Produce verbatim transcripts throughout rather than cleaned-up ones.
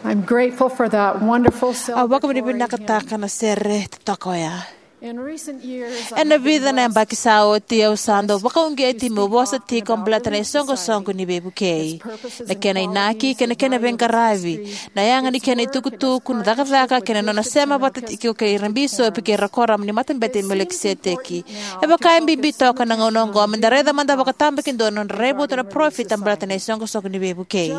I'm grateful for that wonderful Au celebration. Vakavinavinakataka na sere totoka oya. In recent years, Ena I've been vica na blessed. Yabaki sa oti, au sa dau vakauqeti meu vosa tiko baleta na isoqosoqo ni veivukei, na kena inaki kei na kena veiqaravi, na yaga ni kena itukutuku, na cakacaka kei na nona sema vata tiko kei ira bisopi kei ira kuoramu ni Matabete i Melikiseteki. E vaka e bibi toka na gauna oqo meda raica mada vakatabakidua na nodra raivotu na parofita baleta na isoqosoqo ni veivukei.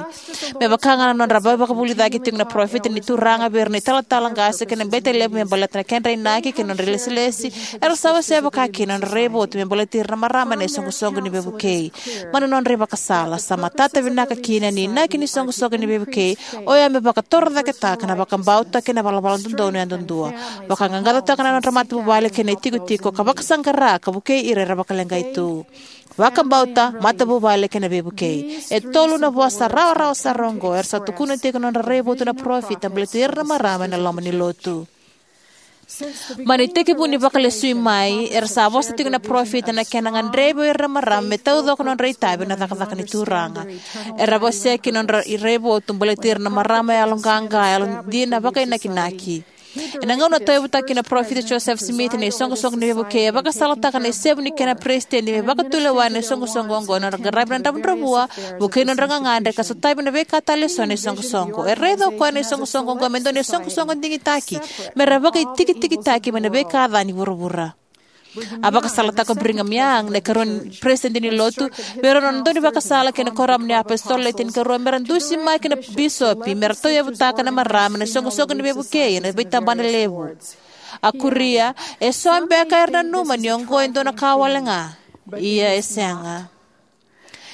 Me vaka ga na nodra veivakavulici tiko na parofita ni Turaga vei ira na italatala qase kei na bete levu me baleta na kedra inaki kei na nodra ilesilesi, era sa wasea vakakina na nodra raivotu me baleti ira na marama ena isoqosoqo ni veivukei. Mai na nodra ivakasala, sa matata vinaka kina ni inaki ni isoqosoqo ni veivukei oya me vakatorocaketaka na vakabauta kei na valavala dodonu yadudua, vakaqaqacotaka na nodra matavuvale kei na itikotiko, ka vakasaqara ka vukei ira era vakaleqai tu. Vakabauta, matavuvale kei na veivukei. E tolu na vosa rawarawa sara oqo era sa tukuna tiko na nodra raivotu na parofita baleti ira na marama ena loma ni lotu. Mai na itekivu ni Vakalesui mai, era sa vosa tiko na parofita na kena gadrevi o ira na marama me taucoko na nodra itavi ena cakacaka ni Turaga. Era vosa kina na nodra raivotu baleti ira na marama yaloqaqa, yalodina, vakainakinaki. Ena gauna a tauyavutaka kina na parofita Joseph Smith na isoqosoqo ni veivukei, e vakasalataka na isevu ni kena peresitedi me vakatulewa ena isoqosoqo oqo ena nodra qaravi na dravudravua, vukei na nodra gagadre, ka sotavi na veika tale eso na isoqosoqo. E raica o koya na isoqosoqo oqo me dua na isoqosoqo digitaki, me ra vakaitikitikitaki mai na veika ca ni vuravura. A vakasalataka o Brigham Young, na ikarua ni peresitedi ni lotu, vei rau na nona daunivakasala kei na Kuoramu ni iApositolo Le Tinikarua, me ra dusimaki na bisopi me ra tauyavutaka na marama ena isoqosoqo ni veivukei ena veitabana levu. A kuria, e so beka era nanuma ni oqo e dua na ka wale ga. Ia e sega.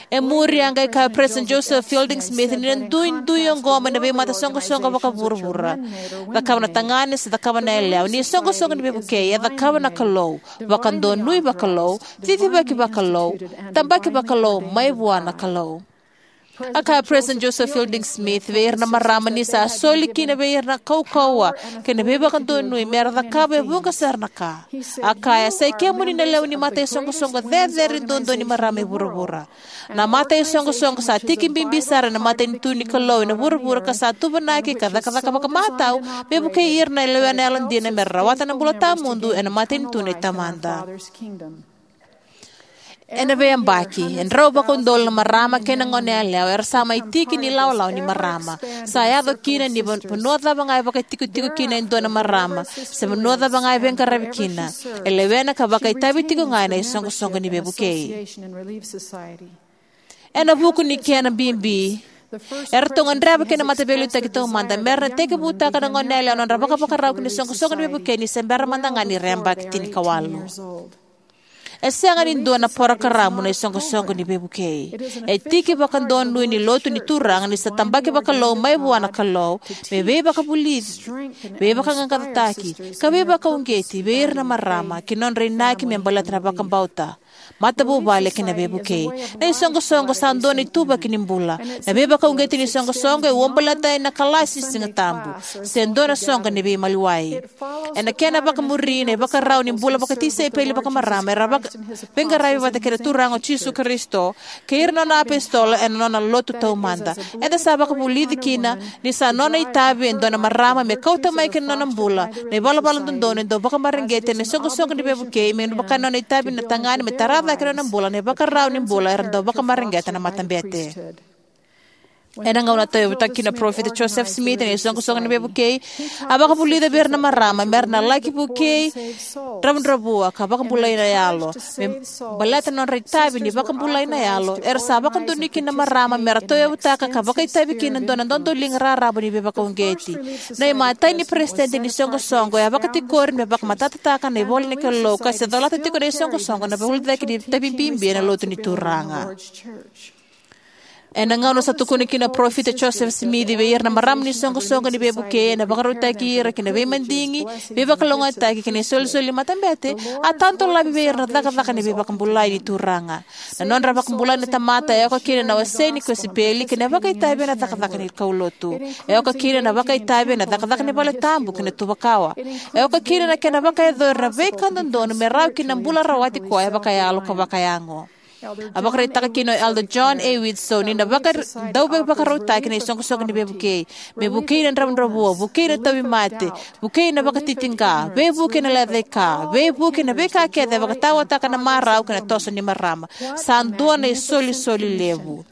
E muri a qai kaya o President Joseph Fielding Smith ni na duidui oqo mai na veimatasoqosoqo vakavuravura. Cakava na tagane se cakava na yalewa, ni isoqosoqo ni veivukei e cakava na Kalou, vakadonui vakalou, cicivaki vakalou, tabaki vakalou mai vua na Kalou. A kaya o President Joseph Fielding Smith vei ira na marama ni sa soli kina vei ira na kaukauwa kei na veivakadonui me ra cakava e vuqa sara na ka. A kaya, sa i kemuni na lewe ni mataisoqosoqo cecere duadua ni marama e vuravura. Na mataisoqosoqo sa tiki bibi sara ena matanitu ni Kalou ena vuravura ka sa tuvanaki ka cakacaka vakamatau me vukei ira na lewena yalodina me ra rawata na bula tawamudu ena matanitu nei Tamada. Ena veiyabaki, e drau vakaudolu na marama kei na goneyalewa era sa mai tiki ni lawalawa ni marama. Sa yaco kina ni va-, vanua cava ga e vakaitikotiko kina e dua na marama, se vanua cava ga e veiqaravi kina, e lewena ka vakaitavi tiko ga ena isoqosoqo ni veivukei. Ena vuku ni kena bibi, eratou gadreva kina na Mataveiliutaki Taumada me ra na tekivutaka na goneyalewa na nodra vakavakarau ki na isoqosoqo ni veivukei ni se bera mada ga ni ra yabaki tinikawalu. E sega ni dua na parokaramu na isoqosoqo ni veivukei. E tiki vakadonui ni lotu ni Turaga ni sa tabaki vakalou mai vua na Kalou, me veivakavulici, veivakaqaqacotaki, ka veivakauqeti vei ira na marama ki na nodra inaki me baleta na vakabauta, matavuvale kei na veivukei. Na isoqosoqo sa dua na ituvaki ni bula. Na veivakauqeti ni isoqosoqo e uabaleta ena kalasi Siga Tabu se dua na soqo ni veimaliwai. Ena kena vakamuri, na ivakarau ni bula vakatisaipeli vakamarama era vaka-, veiqaravi vata kei na Turaga o Jisu Karisito kei ira na nona apositolo ena nona lotu taumada. Eda sa vakavulici kina ni sa nona itavi e dua na marama me kauta mai ki na nona bula na ivalavala dodonu e dau vakamareqeti ena isoqosoqo ni veivukei, me vaka na nona itavi na tagane me tara cake ena nona bula na ivakarau ni bula era dau vakamareqeta na matabete. Ena gauna a tauyavutaka kina na parofita Joseph Smith ena isoqosoqo ni veivukei, a vakavulica vei ira na marama me ra na laki vukei dravudravua ka vakabulai na yalo. Me baleta na nodra itavi ni vakabulai na yalo, era sa vakadonui kina na marama me ra tauyavutaka ka vakaitavi kina e dua na dodoliga raraba ni veivakauqeti. Na imatai ni peresitedi ni soqosoqo e a vakatikori me vakamatatataka na ivola ni Kalou ka se colata tiko na isoqosoqo na vakavulici ni itavi bibi ena lotu ni Turaga. Ena gauna sa tukuna kina na parofita Joseph Smith vei ira na marama ni soqosoqo ni veivukei, ena vakarautaki ira ki na veimadigi, veivakalougatataki kei na isolisoli ni matabete, a tadolavi vei ira na cakacaka ni veivakabulai ni Turaga. Na nodra vakabulai na tamata e oka kina na wasei ni kosipeli kei na vakaitavi ena cakacaka ni kaulotu. E oka kina na vakaitavi ena cakacaka ni valetabu kei na tuvakawa. E oka kina na kena vakayacori na veika dodonu me rawa kina na bula rawati koya vakayalo ka vakayago. A vakaraitaka kina o Elder John A. Widtsoe ni na vaka, dau veivakarautaki na isoqosoqo ni veivukei, me vukei na dravudravua, vukei na tauvimate, vukei na vakatitiqa, veivuke na lecaika, veivuke na veika kece e vakataotaka na marau kei na toso ni marama. Sa dua na isolisoli levu.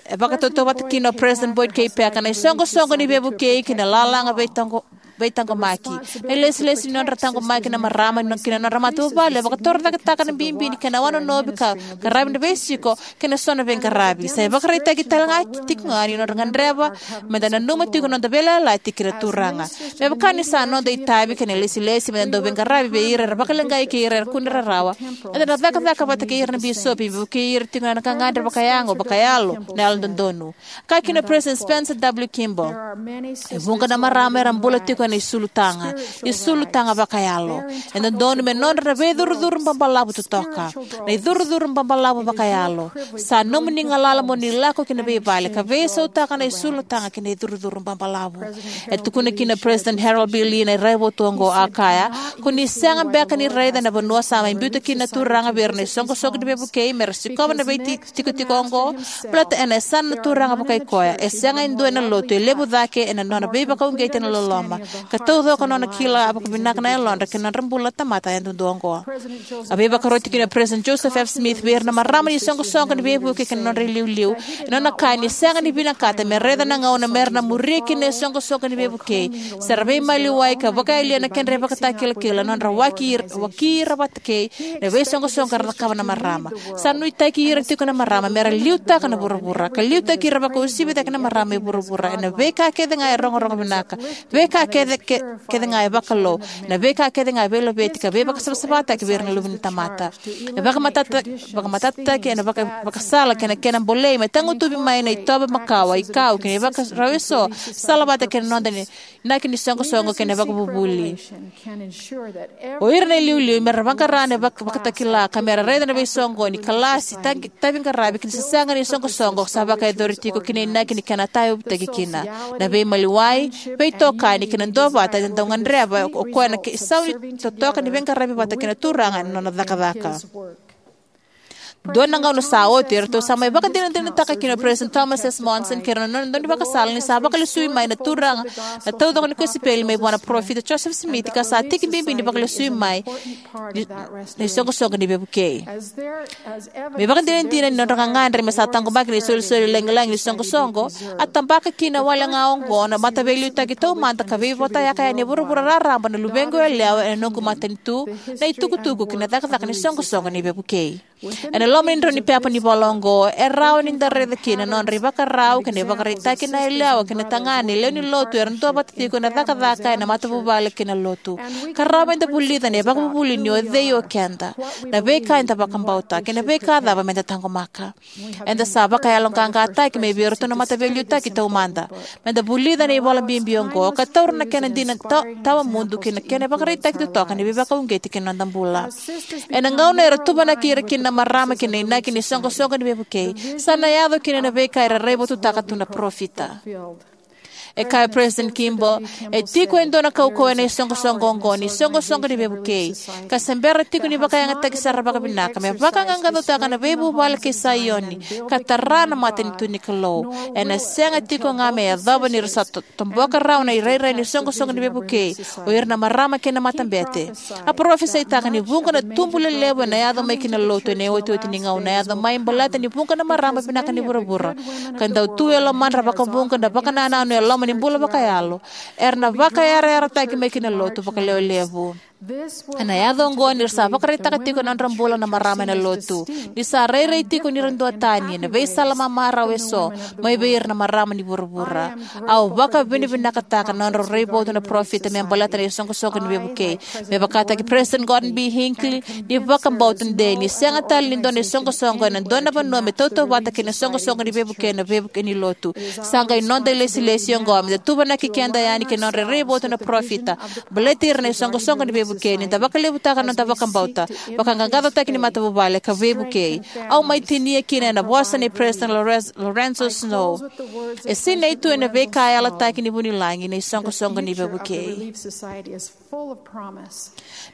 E vakatautauvata kina o President Boyd K. Packer na isoqosoqo ni veivukei kei na lalaga veitaqo, veitaqomaki. Na ilesilesi ni nodra taqomaki na marama ki na nodra matavuvale e vakatorocaketaka na bibi ni kena wanonovi ka qaravi na veisiko kei na so na veiqaravi. Sa ivakaraitaki talega tiko ga ni nodra gadreva meda nanuma tiko na noda veiyalayalati kei na Turaga. Me vaka ni sa noda itavi kei na ilesilesi meda dau veiqaravi vei ira era vakaleqai kei ira era kune rarawa, eda na cakacaka vata kei ira na bisopi, vukei ira tiko ena gagadre vakayago, vakayalo, na yalododonu. Kaya kina o President Spencer W. Kimball, e vuqa na marama era bula tiko ena isulutaga, isulutaga vakayalo. E dodonu me nodra na veicurucuru babalavu totoka. Na icurucuru babalavu vakayalo. Sa nomuni galala mo ni lako ki na veivale ka veisautaka na isulutaga kei na icurucuru babalavu. E tukuna kina o President Harold B. Lee na raivotu oqo, a kaya: Ko ni sega beka ni raica na vanua sa mai biuta kina na Turaga vei ira na isoqosoqo ni veivukei mera sikova na veitikotiko oqo? Baleta ena yasana na Turaga vakai koya, e sega e dua ena lotu e levu cake ena nona veivakauqeti ena loloma ka taucoko na nona kila vakavinaka na yalodra kei na nodra bula na tamata yadudua oqo. A veivakaroti kina o President Joseph F. Smith vei ira na marama ni isoqosoqo ni veivukei kei na nodra iliuliu, ena nona kaya ni sega ni vinakata me raica na gauna mera na muria kina na isoqosoqo ni veivukei, se ra veimaliwai ka vakayalia na kedra ivakatakilakila, na nodra waki ir-, waki ira vata kei na veisoqosoqo era cakava na marama. Sa nuitaki ira tiko na marama mera liutaka na vuravura, ka liutaki ira vakausivi cake na marama e vuravura ena veika kece ga e rogorogo vinaka, veika kece, ke-, kece ga e vakalou, na veika kece ga e veilaveti ka veivakasavasavataki vei ira na luve ni tamata. E vakamatata-, vakamatatataki ena vaka-, vakasala kei na kena bolei me tagutuvi mai na itovo makawa, ikau kei na ivakarau eso, salavata kei na noda ni inaki ni soqosoqo kei na vakavuvuli. O ira na iliuliu mera vaqara na vak-, vakatakila ka mera raica na veisoqoni, kalasi, taqi-, tavi qaravi kei na sasaga ni soqosoqo sa vakayacori tiko ki na inaki ni kena tauyavutaki kina. Na veimaliwai, veitokani kei na duavata eda dau gadreva o koya na ke-, isau ni totoka ni veiqaravi vata kei na Turaga ena nona cakacaka. Dua na gauna sa oti, eratou sa mai vakadinadinataka kina o President Thomas S. Monson kei ira na nona daunivakasala ni sa vakalesui mai na Turaga na taucoko ni kosipeli mai vua na Parofita Joseph Smith, ka sa tiki bibi ni vakalesui mai ni, ni soqosoqo ni veivukei. Me vakadinadina ni nodra gagadre me sa taqomaki na isolisoli lagilagi ni soqosoqo, a tabaka kina wale ga oqo na Mataveiliutaki Taumada ka veivotayaka yani e vuravura raraba na luvequ yalewa ena noqu matanitu, na itukutuku kei na cakacaka ni soqosoqo ni veivukei. Ena loma ni drau ni pepa ni vola oqo, e rawa ni da raica kina na nodra ivakarau kei na ivakaraitaki na yalewa kei na tagane lewe ni lotu era duavata tiko ena cakacaka ena matavuvale kei na lotu. Ka rawa meda vulica na ivakavuvuli ni o cei o keda, na veika eda vakabauta, kei na veika cava meda taqomaka. Eda sa vakayaloqaqataki mai vei iratou na Mataveiliutaki Taumada. Meda vulica na ivola bibi oqo ka taura na kena dina ta-, tawamudu kei na kena ivakaraitaki totoka ni veivakauqeti ki na noda bula. Ena gauna era tuvanaki ira kina na marama ki na inaki ni soqosoqo ni veivukei, sa na yaco kina na veika era raivotutaka tu na parofita. E kaya o President Kimball, e tiko e dua na kaukauwa ena isoqosoqo oqo ni soqosoqo ni veivukei, ka se bera tiko ni vakayagataki sara vakavinaka me vaqaqacotaka na veivuvale kei Saioni ka tara na matanitu ni Kalou. Ena sega tiko ga me yacova ni ra sa to-, toboka rawa na irairai ni soqosoqo ni veivukei o ira na marama kei na matabete. A parofisaitaka ni vuqa na tubu lelevu ena yaco mai ki na lotu ena iotioti ni gauna, yaco mai baleta ni vuqa na marama vinaka ni vuravura ka dau tu e lomadra vakavuqa na vakanananu e loma ni bula vakayalo, era na vakayarayarataki mai ki na lotu vakalewe levu. Ena yaco oqo ni ra sa vakaraitaka tiko na nodra bula na marama ena lotu, ni sa rairai tiko ni ra duatani ena veisala mamarau eso mai vei ira na marama ni vuravura. Au vakavinavinakataka na nodra raivotu na parofita me baleta na isoqosoqo ni veivukei. Me vakataki President Gordon B. Hinckley, ni vakabauta de ni sega tale ni dua na isoqosoqo ena dua na vanua me tautauvata kei na soqosoqo ni veivukei ena veivuke ni lotu. Sa qai noda ilesilesi oqo meda tuvanaki keda yani kei na nodra raivotu na parofita baleti ira na isoqosoqo ni veivukei. Vukei ni da vakalevutaka na noda vakabauta, vakaqaqacotaki ni matavuvale ka veivukei. Au mai tinia kina ena vosa nei President Lorenz- Lorenzo Snow: E sinai tu ena veika yalataki ni vunilagi na isoqosoqo ni veivukei.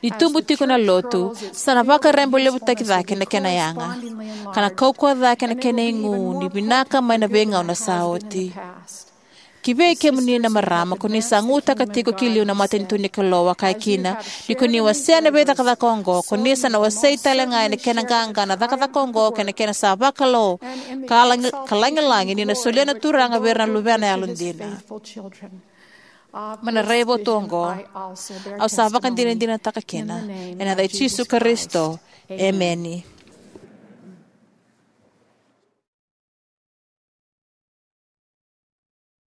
Ni tubu tiko na Lotu, sa na vakarabailevutaki cake na kena yaga, ka na kaukauwa cake na kena igu ni vinaka mai na veigauna sa oti. Kivei kemuni na marama ko ni sa gutaka tiko ki liu na matanitu ni Kalou, a kaya kina, ni ko ni wasea na veicakacaka oqo, ko ni sa na wasei talega ena kena qaqa na cakacaka oqo kei na kena sa vakalou ka lagi- ka lagilagi ni na solia na Turaga vei ira na luvena yalodina. Mai na raivotu oqo, au sa vakadinadinataka kina ena yaca i Jisu Karisito. Emeni.